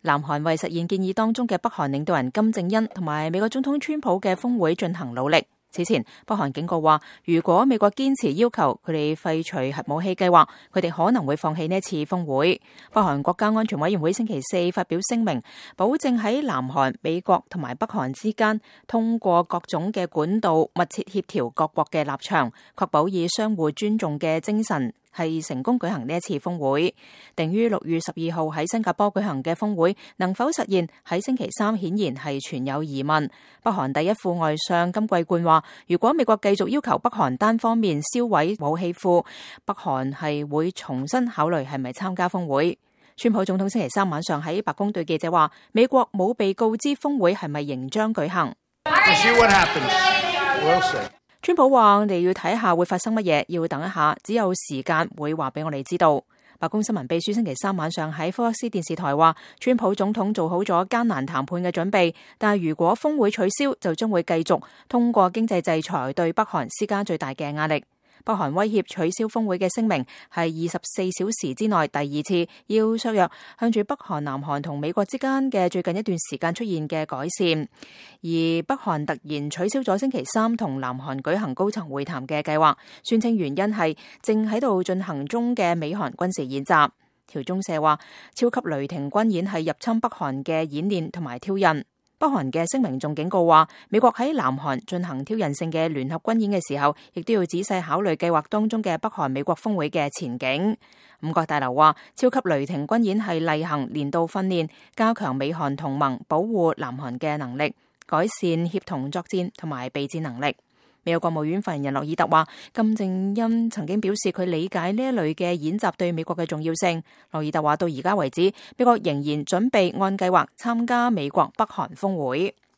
南韓為實現建議當中嘅北韓領導人金正恩同埋美國總統川普嘅峰會進行努力。此前，北韓警告話，如果美國堅持要求佢哋廢除核武器計劃，佢哋可能會放棄呢一次峰會。北韓國家安全委員會星期四發表聲明，保證喺南韓、美國同埋北韓之間通過各種嘅管道密切協調各國嘅立場，確保以相互尊重嘅精神係成功舉行呢一次峰會。定於6月12號喺新加坡舉行嘅峰會能否實現，喺星期三顯然係存有疑問。北韓第一副外相金貴冠話，如果美國繼續要求北韓單方面銷毀武器庫，北韓係會重新考慮係咪參加峰會。川普總統星期三晚上喺白宮對記者話，美國冇被告知峰會係咪仍將舉行。川普話，我哋要睇下會發生乜嘢，要等一下，只有時間會話俾我哋知道。白宮新聞秘書星期三晚上喺福克斯電視台話，川普總統做好咗艱難談判嘅準備，但係如果峰會取消，就將會繼續通過經濟制裁對北韓施加最大嘅壓力。北韓威脅取消峰會嘅聲明係24小時之內第二次要削弱向住北韓、南韓同美國之間嘅最近一段時間出現嘅改善，而北韓突然取消咗星期三同南韓舉行高層會談嘅計劃，宣稱原因係正喺度進行中嘅美韓軍事演習。朝中社話，超級雷霆軍演係入侵北韓嘅演練同埋挑釁。北韓嘅聲明仲警告話，美國喺南韓進行挑釁性嘅聯合軍演嘅時候，亦都要仔細考慮計劃當中嘅北韓美國峰會嘅前景。五角大樓話，超級雷霆軍演係例行年度訓練，加強美韓同盟保護南韓嘅能力，改善協同作戰同埋備戰能力。美國國務院發言人洛爾特話，金正恩曾經表示佢理解呢一類嘅演習對美國嘅重要性。洛爾特話，到而家為止，美國仍然準備按計劃參加美國北韓峰會。